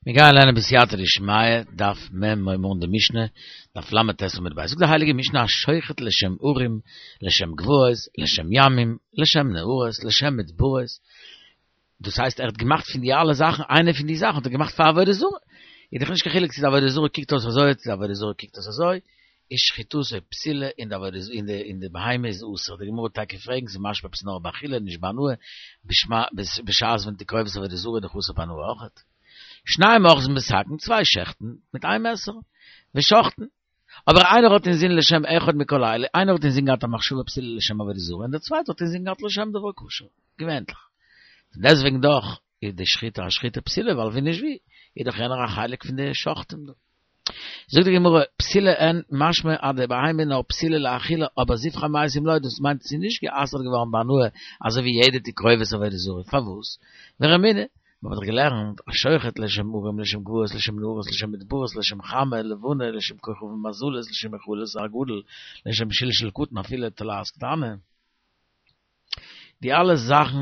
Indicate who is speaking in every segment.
Speaker 1: מיר גייען לערנען בסייעתא דשמיא, דף מ' הייבן מיר אן די משנה, דף ל"ט עמוד ב'. זאגט די הייליגע משנה השוחט לשם הרים, לשם גבעות, לשם ימים, לשם נהרות, לשם מדברות, דאס הייסט ער האט געמאכט פון די אלע זאכן, איינע פון די זאכן האט ער געמאכט פאר עבודה זרה, איז דאך נישט קיין חילוק צו די עבודה זרה קוקט אויס אזוי צו די עבודה זרה קוקט אויס אזוי, איז שחיטתו פסולה און די עבודה און די און די בהמה איז אסור, די גמרא וועט טאקע פרעגן ס'איז משמע עפעס נאר באכילה נישט בהנאה, בשעת ווען תקרובת עבודה זרה איז דאך אסור בהנאה אויכעט. שניים אוחזין בסכין, צוויי שעכטן מיט איין מעסער, ושוחטין. אבער איינער האט אינזין לשם אחד מכל אלה, איינער האט אינזין געהאט א מחשבה פסולה לשם עבודה זרה און דער צווייטער האט אינזין געהאט לשם דבר כשר, געווענליך. פון דעסטוועגן דאך איז די שחיטה א שחיטה פסולה ווייל ווי נישט ווי איז דאך יענער א חלק פון די שוחטים דא. זאגט די גמרא, פסולה אין, משמע אז די בהמה איז נאר פסולה לאכילה אבער זבחי מתים לא, דאס מיינט ס'איז נישט גע'אסר'ט געווארן בהנאה אזוי ווי יעדע תקרובת עבודה זרה, פארוואס? ורמינהי, מ'האט דאך געלערנט, השוחט לשם הרים לשם גבעות לשם נהרות לשם מדברות לשם חמה לבנה לשם כוכבים ומזלות לשם היכלות הגדול לשם שלשול קטן אפילו תולעת קטנה. די אלע זאכן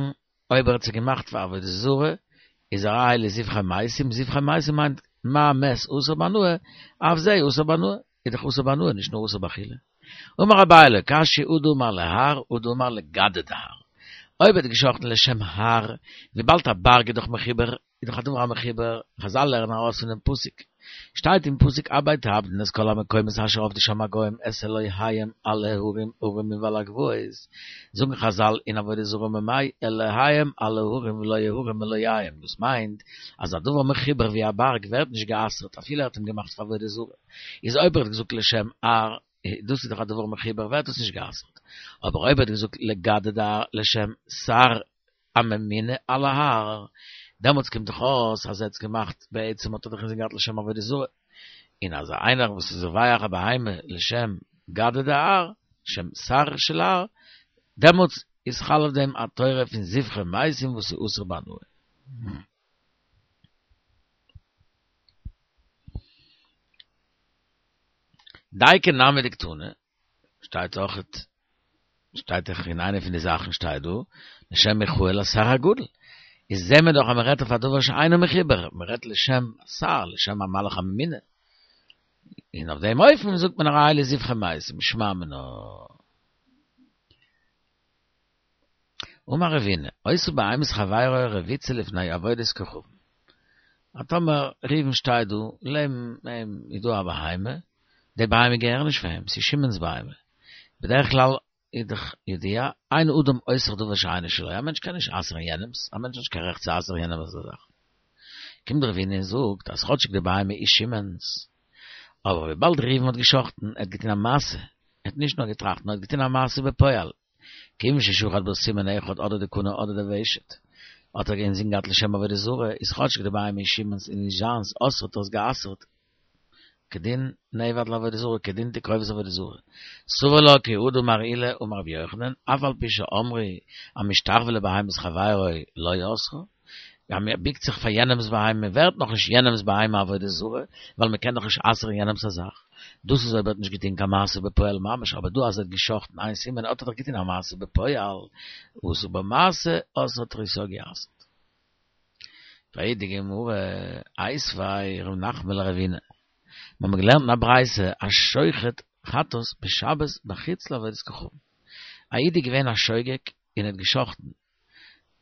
Speaker 1: אויב ער האט זיי געמאכט פאר עבודה זרה, איז הרי אלו זבחי מתים, זבחי מתים מיינט מה מת אסור בהנאה, אף זה אסור בהנאה, איז דאך אסור בהנאה נישט נאר אסור באכילה. אמר אביי לא קשיא הא דאמר להר הא דאמר לגדא דהר. אויב ער האט געשאכטן לשם הר, וויבאלד א בארג איז דאך מחובר איז דאך א דבר המחובר, חזל לערנען ארויס פון דעם פסוק, שטייט אין פסוק הבט תאבדון את כל המקומות אשר עבדו שם הגוים את אלהיהם על ההרים הרמים ועל הגבעות, זאגן חזל אין עבודה זרה ממאי אלהיהם על ההרים ולא ההרים אלהיהם, דאס מיינט אז א דבר מחובר ווי א בארג ווערט נישט גע'אסר'ט אפילו ער האט אים געמאכט פאר עבודה זרה, איז אויב ער האט געזאגט לשם הר, דאס איז דאך א דבר מחובר ווערט דאס נישט גע'אסר'ט, אבער אויב ער האט געזאגט לגדא דהר לשם שר הממונה על ההר, דעמאלטס קומט דאך אויס אז ער האט עס געמאכט בעצם האט ער דאך אינזין געהאט לשם עבודה זרה, און אז איינער וואס איז זובח א בהמה לשם גדא דהר, לשם שר של הר, דעמאלטס איז חל אויף דעם א תורה פון זבחי מתים וואס איז אסור בהנאה. דייקא נמי דקתני, שטייט אויך שטייט דאך אין איינע פון די זאכן שטייט דא לשם מיכאל השר הגדול איז זעהן מיר דאך אז מען רעדט אויף א דבר שאינו מחובר מען רעדט לשם שר לשם המלאך הממונה און אויף דעם אופן זאגט מען הרי אלו זבחי מתים שמע מינה אמר רבינא, היתה בהמת חברו רבוצה לפני עבודת כוכבים. אז טאמער ראובן שטייט דא, לעבן אים איז דא א בהמה, די בהמה געהער נישט פאר אים, ס'איז שמעון'ס בהמה. בדרך כלל איז דאך ידוע, אין אדם אוסר דבר שאינו שלו, א מענטש קען נישט אסר'ן יענעמ'ס, א מענטש האט נישט קיין רעכט צו אסר'ן יענעמ'ס א זאך. קומט רבינא און זאגט אז כאטשיג די בהמה איז שמעון'ס, אבער וויבאלד ראובן האט גע'שחט'ן, ער האט געטון א מעשה, ער האט נישט נאר געטראכט, נאר ער האט געטון א מעשה בפועל, כיוון ששחט בה סימן אחד אדער דקנה אדער דוושת, האט ער אינזין געהאט לשם עבודה זרה, איז כאטשיג די בהמה איז שמעון'ס און נישט זיינס, אסרה האט ער עס גע'אסר'ט, כדין נעבד לעבודה זרה, כדין תקרובת עבודה זרה. סבר לה כי הא דאמר עולא אמר רבי יוחנן, אף על פי שאמרו המשתחוה לבהמת חברו לא אסרה, אז מען ביקט זיך פאר יענעמס בהמה ווערט נאך נישט יענעמס בהמה עבודה זרה, ווייל מען קען דאך נישט אסר'ן יענעמס א זאך. דאס איז אויב ער האט נישט געטון קיין מעשה בפועל ממש, אבער דא אז ער האט גע'שחט'ן איין סימן האט ער דאך געטון א מעשה בפועל, עשה בה מעשה אסרה האט ער עס יא גע'אסר'ט. פרעגט די גמרא, איתיביה ר' נחמן לרבינא, מיר האבן געלערנט אין א ברייתא השוחט חטאת בשבת בחוץ לעבודת כוכבים, א איד איז געווען א שוגג און האט גע'שחט'ן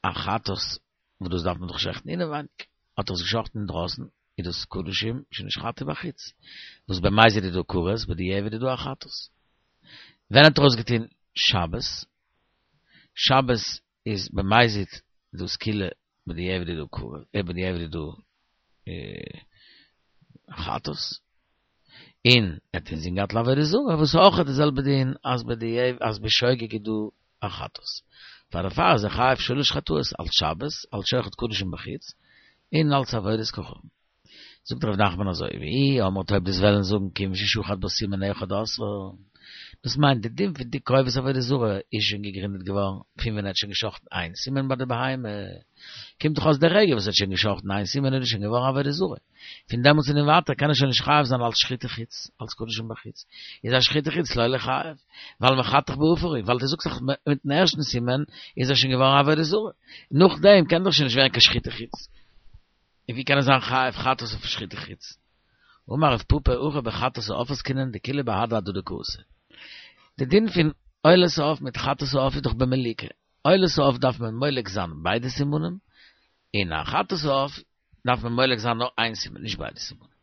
Speaker 1: א חטאת וואס דאס דארף מען דאך שעכטן אינעווייניג, האט ער עס געשאכטן אינדרויסן, איז דאס קדשים שנשחטו בחוץ, וואס במזיד איז דא כרת, בדיעבד איז דא א חטאת. ווען האט ער עס געטון? שבת, שבת איז במזיד דא סקילה, בדיעבד איז דא כרת, בדיעבד איז דא חטאת, און ער האט אינזין געהאט לעבודה זרה, וואס איז אויך די זעלבע דין אז בדיעבד אז בשוגג איז דא א חטאת. פאר דערפאר איז ער חייב שלש חטאות, אלס שבת, אלס שוחט קדשים בחוץ, און אלס עבודת כוכבים. זאגט ר' נחמן אזוי, ואי אמרת אויב דו'סט וועלן זאגן כיוון ששחט בה סימן אחד אסרה, דאס מיינט די דין פון תקרובת עבודה זרה איז שוין געגרינדעט געווארן פון ווען ער האט שוין געשחטן איין סימן ביי די בהמה, קומט דאך אויס די רגע וואס ער האט שוין געשחטן איין סימן איז דאס שוין געווארן עבודה זרה. פון דעמאלטס און ווייטער קען ער שוין נישט חייב זיין אלס שחיטה חוץ, אלס קדשים בחוץ, איז א שחיטה חוץ לא ליחייב, ווייל מחתך בעפר הוא, ווייל דו זאגסט דאך מיטן ערשטן סימן איז ער שוין געווארן עבודה זרה, נאכדעם קען דאך שוין נישט ווערן קיין שחיטה חוץ. און ווי קען ער זיין חייב חטאת אויף שחיטה חוץ? אמר רב פפא הכא בחטאת העוף עסקינן דכולהו בהדי הדדי קאתו. די דין פון עולת העוף מיט חטאת העוף איז דאך במליקה. עולת העוף דארף מען מולק זיין ביידע סימנים, און א חטאת העוף דארף מען מולק זיין נאר איין סימן נישט ביידע סימנים.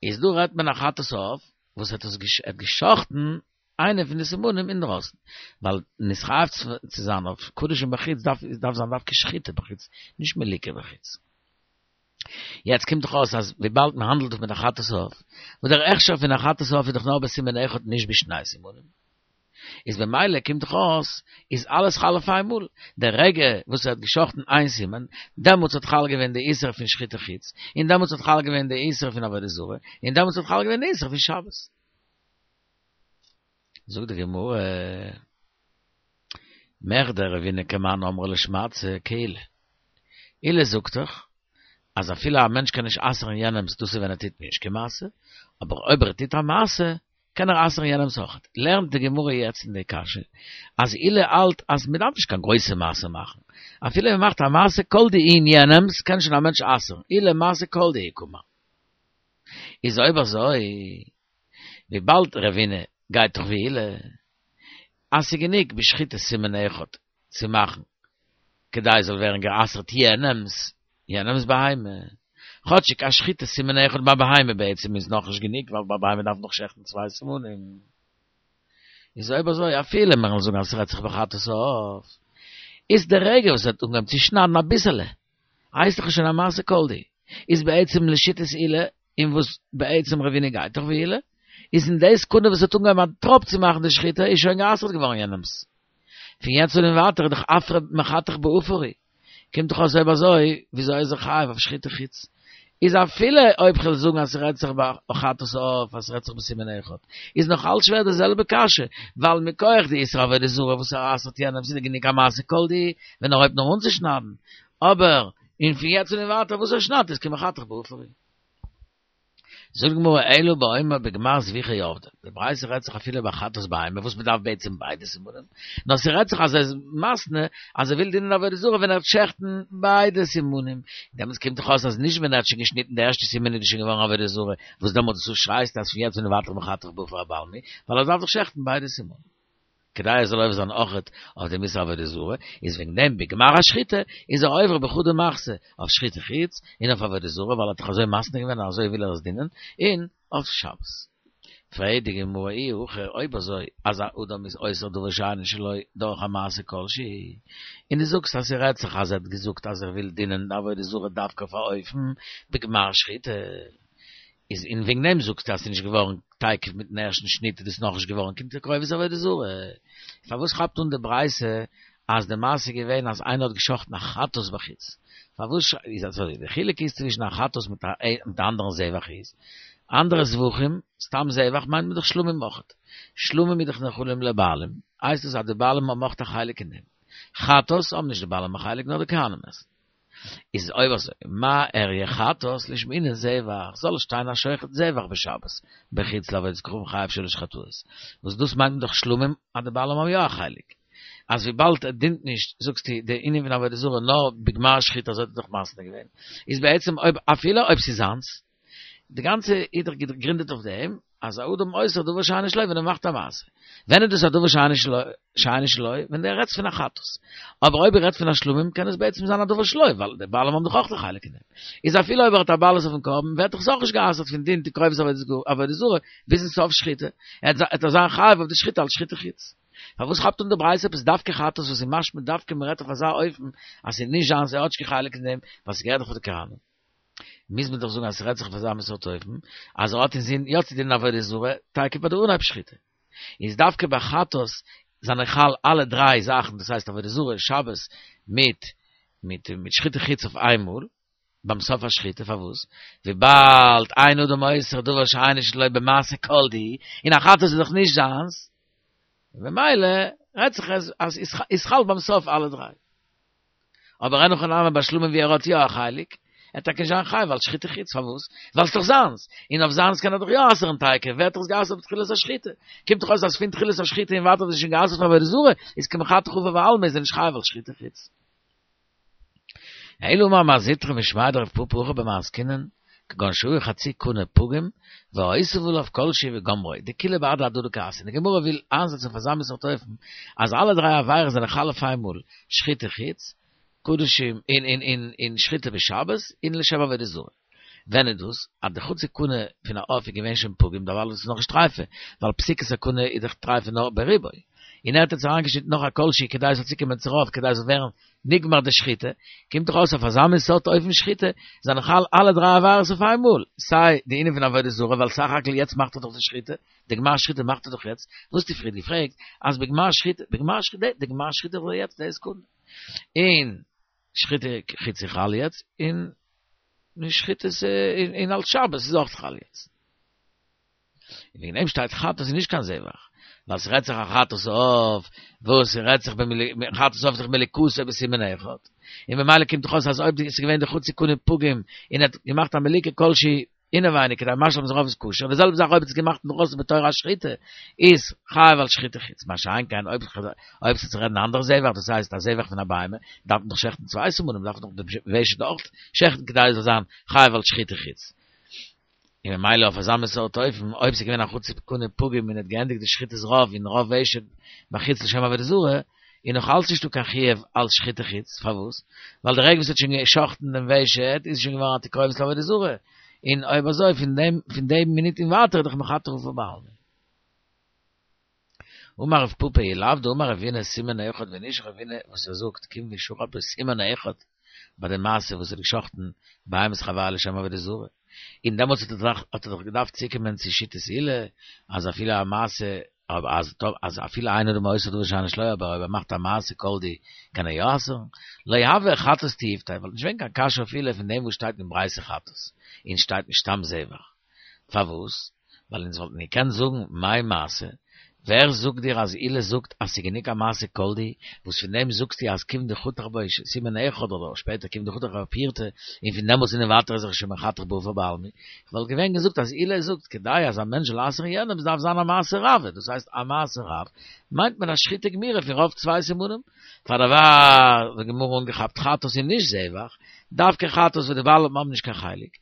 Speaker 1: איז דא רעדט מען א חטאת העוף וואס האט עס געשחט'ן איינע פון די סימנים אינדרויסן, ווייל נתחייב צו זיין אויף קדשים בחוץ דארף דארף זיין דווקא שחיטה בחוץ, נישט מליקה בחוץ. יעצט קומט דאך אויס אז וויבאלד מען האנדלט דאך מיט א חטאת העוף, וואס דער הכשר פון א חטאת העוף איז דאך נאר בסימן אחד נישט בשני סימנים, איז במילא קומט דאך אויס איז אלעס חל אויף איינמאל, דער רגע וואס ער האט געשחטן איין סימן, דעמאלטס האט חל געווען די איסור פון שחיטה חוץ, און דעמאלטס האט חל געווען די איסור פון עבודה זרה, און דעמאלטס האט חל געווען די איסור פון שבת. זאגט די גמרא, מכדי רבינא כמאן אמרה לשמעתתא כעולא. עולא זאגט דאך אז אפילו א מענטש קען נישט אסר'ן יענעמ'ס דאס איז ווען ער טוט נישט קיין מעשה, אבער אויב ער טוט א מעשה קען ער אסר'ן יענעמ'ס אויכעט. לערנט די גמרא יעצט אין די קשיא אז עולא האלט אז מ'דארף נישט קיין גרויסע מעשה מאכן, אפילו מ'מאכט א מעשה כל דהו אין יענעמ'ס קען שוין א מענטש אסר'ן, עולא מעשה כל דהו קאמר. איז אויב אזוי, וויבאלד רבינא גייט דאך ווי עולא, אז ס'איז גענוג בשחיטת סימן אחד צו מאכן כדי עס זאל ווערן גע'אסר'ט יענעמ'ס יענעמ'ס בהמה, כאטשיג א שחיטת סימן אחד ביי בהמה בעצם איז נאכנישט גענוג ווייל ביי בהמה דארף מען דאך שעכטן צוויי סימנים. איז אויב אזוי אפילו מיר וועלן זאגן אז ס'רעדט זיך בחטאת העוף, איז די רגע וואס ער האט אנגעהויבן צו שניידן אביסעלע, הייסט דאך שוין א מעשה כל דהו, איז בעצם לשיטת עולא, און וואס בעצם רבינא גייט דאך ווי עולא, איז אין די סעקונדע וואס האט אנגעהויבן א טראפ צו מאכן די שחיטה איז שוין גע'אסר'ט געווארן יענעמ'ס. פון יעצט אן און ווייטער איז דאך עפרא מחתך בעפר הוא. קומט דאך אויס אויב אזוי, וויאזוי איז ער חייב אויף שחיטה חוץ? איז אפילו אויב כ'וועל זאגן אז ס'רעדט זיך ביי חטאת העוף אז ס'רעדט זיך בסימן אחד, איז נאך אלץ שווער די זעלבע קשיא, ווייל מכח די איסור עבודה זרה וואס ער אסר'ט יענעם ס'איז גענוג א מעשה כל דהו ווען ער הויבט נאר אן צו שניידן, אבער און פון יעצט און ווייטער וואס ער שניידט איז כמחתך בעפר הוא. זאגט די גמרא אלא באומר בגמר זביחה עבדי, די ברייתא רעדט זיך אפילו ביי חטאת בהמה וואס מען דארף בעצם ביידע סימנים, נאר ס'רעדט זיך אז ער איז מתנה אז ער וויל דינען עבודה זרה ווען ער וועט שעכטן ביידע סימנים, דעמאלטס קומט דאך אויס אז נישט ווען ער האט שוין געשניטן די ערשטע סימן איז דאס שוין געווארן עבודה זרה, וואס דעמאלטס דו שרייסט אז פון יעצט און ווייטער מחתך בעפר בעלמא, ווייל ער דארף דאך שעכטן ביידע סימנים. כדי ער זאל עובר זיין אויכעט אויף דעם איסור עבודה זרה, איז וועגן דעם בגמר השחיטה איז ער עובר בחדא מחתא אויף שחיטה חוץ און אויף עבודה זרה ווייל ער האט דאך אזוי מתנה געווען און אזוי וויל ער עס דינען, און אויף שבת. פרעגט די גמרא אי הכי אויב אזוי אז א אדם איז אוסר דבר שאינו שלו דורך א מעשה כל שהוא, און דו זאגסט אז ס'רעדט זיך אז ער האט געזאגט אז ער וויל דינען די עבודה זרה דווקא אויף א אופן בגמר שחיטה, איז און וועגן דעם זאגסטו אז ס'איז נישט געווארן תיכף מיטן ערשטן שניט איז דאס נאכנישט געווארן קיין תקרובת עבודה זרה. פארוואס כאפט אן די ברייתא אז די מעשה איז געווען אז איינער האט געשחטן א חטאת בחוץ? פארוואס איז אזוי? די חילוק איז צווישן א חטאת מיט א מיט א אנדערן זבח איז, אנדערע זבחים, סתם זבח מיינט מען דאך שלמים אויכעט. שלמים איז דאך נאכלים לבעלים, הייסט עס אז די בעלים האבן אויך א חלק אין דעם. חטאת האבן נישט די בעלים א חלק נאר די כהנים עסן. איז אויב אזוי, מה איריא חטאת לישמעינן זבח, זאל עס שטיין השוחט זבח בשבת, בחוץ לעבודת כוכבים חייב שלש חטאות, וואס דאס מיינט מען דאך שלמים אז די בעלים האבן יא א חלק, אז וויבאלד ער דינט נישט, זאגסטו, די ענין פון עבודה זרה נאר בגמר שחיטה אזוי האט ער דאך מתנה געווען, איז בעצם אויב אפילו אויב ס'איז זיינס, די גאנצע איז דאך געגרינדעט אויף דעם אז א אדם אוסר דבר שאינו שלו ווען ער מאכט א מעשה. ווען איז דאס א דבר שאינו שלו? ווען דו רעדסט פון א חטאת. אבער אויב ער רעדט פון א שלמים קען עס בעצם זיין א דבר שלו ווייל די בעלים האבן דאך אויך א חלק אין דעם. איז אפילו אויב ער האט א בעלות אויפן קרבן ווערט דאך עס אויך נישט גע'אסר'ט פון דין תקרובת עבודה זרה ביזן סוף שחיטה. ער וועט זיין חייב אויף די שחיטה אלס שחיטה חוץ. פארוואס כאפט אן די ברייתא עפעס דווקא חטאת וואס איז משמע דווקא מ'רעדט אויף אזא אופן אז ס'איז נישט זיינס ער האט נישט קיין חלק אין דעם ווייל ס'געהערט דאך פאר די כהנים. מוז מען דאך זאגן אז ס'רעדט זיך אויף אזא מין סארט אופן, אז ער האט אינזין יא צו דינען עבודה זרה, טאקע ביי די אנהייב שחיטה. איז דווקא ביי חטאת זענען חל אלע דריי זאכן, דאס הייסט עבודה זרה, שבת, מיט מיט מיט שחיטה חוץ אויף איינמאל, ביים סוף השחיטה, פארוואס? וויבאלד אין אדם אוסר דבר שאינו שלו במעשה כל דהו, און א חטאת איז דאך נישט זיינס, ממילא רעדט זיך אז אז איז חל ביים סוף אלע דריי. אבער אין הכי נמי ביי שלמים ווי ער האט יא א חלק, ער וועט טאקע נישט זיין חייב אלס שחיטה חוץ, פארוואס? ווייל ס'דאך זיינס, און אויף זיינס קען ער דאך יא אסר'ן תיכף, ווערט דאך עס גע'אסר'ט בתחילת השחיטה, קומט דאך אויס אז פון תחילת השחיטה און ווייטער איז עס שוין גע'אסר'ט פאר עבודה זרה, איז כמחתך עפר בעלמא איז ער נישט חייב אלס שחיטה חוץ. אלא אמר מר זוטרא משמיה דרב פפא הכא במאי עסקינן, כגון שהיו חצי קנה פגום, והוסיף עליו כל שהוא וגמרו, דכולהו בהדי הדדי קאתו. די גמרא וויל איינזעצן אויף אזא מין סארט אופן, אז אלע דריי עבירות זענען חל אויף איינמאל, שחיטה חוץ, קדשים, און און און און שחיטה בשבת, און לשם עבודה זרה. ווען איז דאס? אז די חצי קנה פון א עוף איז געווען שוין פגום דערווייל איז עס נאכנישט טרייפה, ווייל פסיקת הקנה איז דאך טרייפה נאר ברובו. און ער האט יעצט אריינגעשניטן נאך א כל שהוא כדי עס זאל צוקומען צו רוב כדי עס זאל ווערן נגמר די שחיטה, קומט דאך אויס אויף אזא מין סארט אופן שחיטה זענען חל אלע דריי עבירות אויף איינמאל, סיי די ענין פון עבודה זרה ווייל סך הכל יעצט מאכט ער דאך די שחיטה, די גמר שחיטה מאכט ער דאך יעצט, וואס האסטו פריער געפרעגט אז בגמר שחיטה, בגמר שחיטה, די גמר שחיטה איז יעצט די סעקונדע, און שחיטה חוץ איז חל יעצט, און שחיטה אין אלס שבת איז אויך חל יעצט. און וועגן דעם שטייט חטאת איז נישט קיין זבח, ווייל ס'רעדט זיך א חטאת העוף, וואס ס'רעדט זיך חטאת העוף איז דאך מליקתו בסימן אחד, און ממילא קומט דאך אויס אז אויב ס'איז געווען די חצי קנה פגום און ער האט געמאכט א מליקה כלשהי אינעווייניג כדי משלים זיין רוב איז כשר, די זעלבע זאך אויב ער האט עס געמאכט אינדרויסן בתור א שחיטה איז חייב על שחיטה חוץ, מה שאין כן אויב אויב ס'איז צו רעדן א אנדערע זבח דאס הייסט א זבח פון א בהמה דארף מען דאך שעכטן צוויי סימנים דארף מען דאך די ושט אויך שעכטן כדי עס זאל זיין חייב על שחיטה חוץ. און ממילא אויף אזא מין סארט אופן, אויב ס'איז געווען א חצי קנה פגום און ער האט געענדיגט די שחיטת רוב און רוב ושט בחוץ לשם עבודה זרה, איז נאך אלץ נישטא קיין חיוב אלץ שחיטה חוץ, פארוואס? ווייל די רגע וואס ער האט שוין גע'שחט'ן דעם ושט איז עס שוין געווארן א תקרובת לעבודה זרה, און אויב אזוי פון דעם פון דעם מינוט און ווייטער איז דאך מחתך עפר בעלמא. אמר רב פפא אי לאו דאמר רבינא סימן אחד ווען נישט רבינא וואס ער זאגט כיון דשחט בסימן אחד ביי די מעשה וואס ער האט געשחטן בהמת חבירו לשם עבודה זרה און דעמאלטס האט ער דאך האט ער דאך געדארפט צוקומען צו שיטת עולא אז אפילו א מעשה אז אז אפילו אין אדם אוסר דבר שאינו שלו אבער אויב ער מאכט א מעשה כל דהו קען ער יא אסר'ן לא הוה חטאת תיובתא וואלט נישט געווען קיין קשיא אויף עולא פון דעם וואס שטייט אין ברייתא חטאת און שטייט נישט סתם זבח פארוואס? ווייל אונז וואלטן געקענט זאגן מאי מעשה, ווער זאגט דיר אז עולא זאגט אז ס'איז גענוג א מעשה כל דהו, וואס פון דעם זאגסטו אז כיון דחתך בו סימן אחד אדער שפעטער כיון דחתך בו פירתא, און פון דעמאלטס און ווייטער איז ער שוין מחתך בעפר בעלמא, כ'וואלט געווען געזאגט אז עולא זאגט כדי אז א מענטש זאל אסר'ן יענעם דארף זיין א מעשה רב, דאס הייסט א מעשה רב מיינט מען א שחיטה גמירה פון רוב צוויי סימנים, פאר דערווייל האט די גמרא אנגעכאפט חטאת און נישט זבח, דווקא חטאת וואס די בעלים האבן נישט קיין חלק,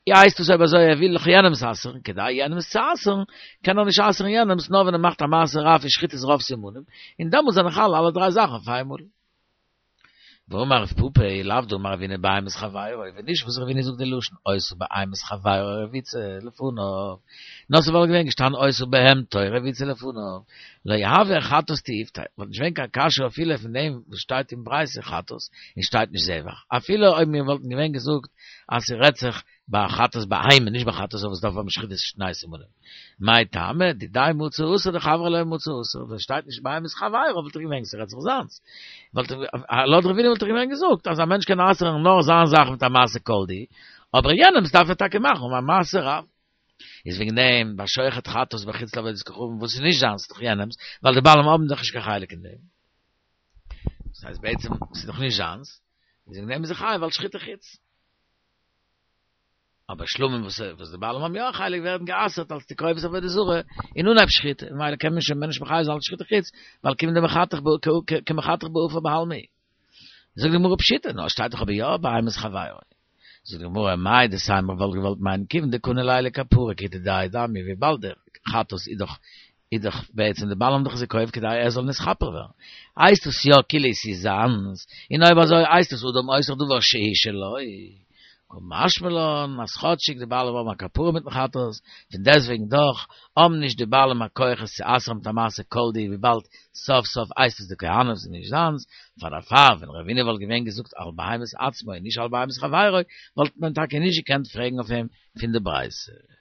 Speaker 1: הייסט עס אויב אזוי ער וויל דאך יענעמס אסר'ן, כדי יענעמס צו אסר'ן, קען ער נישט אסר'ן יענעמס נאר ווען ער מאכט א מעשה רב פון שחיטת רוב סימנים, און דעמאלטס זענען חל אלע דריי זאכן אויף איינמאל. ואמר רב פפא אי לאו דאמר רבינא בהמת חבירו, ווען נישט וואס רבינא זאגט די לשון היתה בהמת חבירו רבוצה לפניו, נאר ס'וואלט געווען געשטאנען היתה בהמתו רבוצה לפניו, לא הוה חטאת תיובתא, וואלט נישט געווען קיין קשיא אויף עולא פון דעם וואס שטייט אין ברייתא חטאת און שטייט נישט זבח, אפילו אויב מיר וואלטן געווען געזאגט אז ס'רעדט זיך ביי א חטאת בהמה נישט ביי חטאת וואס דארף האבן שחיטת שני סימנים. מאי טעמא, דידיה מצי אסר דחבריה לא מצי אסר, ווען שטייט נישט בהמת חבירו וואלט איך געווען ס'רעדט זיך זיינס. וואלט לויט רבינא וואלט איך געווען געזאגט אז א מענטש קען אסר'ן נאר זיין זאך מיט א מעשה כל דהו, אבער יענעמ'ס דארף ער טאקע מאכן א מעשה רב. איז וועגן דעם ביי שוחט חטאת בחוץ לעבודת כוכבים וואס איז נישט זיינס ס'איז דאך יענעמ'ס, ווייל די בעלים האבן דאך נישט קיין חלק אין דעם. דאס הייסט בעצם ס'איז דאך נישט זיינס, איז וועגן דעם איז ער חייב אלס שחיטה חוץ. אבער שלמים וואס וואס די בעלים האבן יא א חלק ווערן גע'אסר'ט אלס תקרובת עבודה זרה אין אנהייב שחיטה, ממילא קען מען שוין מער נישט מחייב זיין אלס שחיטה חוץ, ווייל כיון דמחתך ב כמחתך בעפר בעלמא. זאגט די גמרא פשיטא, נאר שטייט דאך אבער יא בהמת חבירו. זאגט די גמרא, מהו דתימא וואלט געוואלט מיינען כיוון דקני ליה לכפרה כדידיה דמי וויבאלד דער חטאת איז דאך איז דאך בעצם די בעלים האבן דאך עס געקויפט כדי ער זאל נתכפר ווערן, הייסט עס יא כאילו עס איז זיינס, און אויב אזוי הייסט עס אדם אוסר דבר שהוא שלו, קא משמע לן אז כאטשיג די בעלים האבן א כפרה מיטן חטאת, פון דעסטוועגן דאך האבן נישט די בעלים א כח עס צו אסר'ן מיט א מעשה כל דהו וויבאלד סוף סוף הייסט עס די כהנים'ס און נישט זיינס, פאר דערפאר ווען רבינא וואלט געווען געזאגט על בהמת עצמו און נישט על בהמת חברו וואלט מען טאקע נישט געקענט פרעגן אויף אים פון די ברייתא.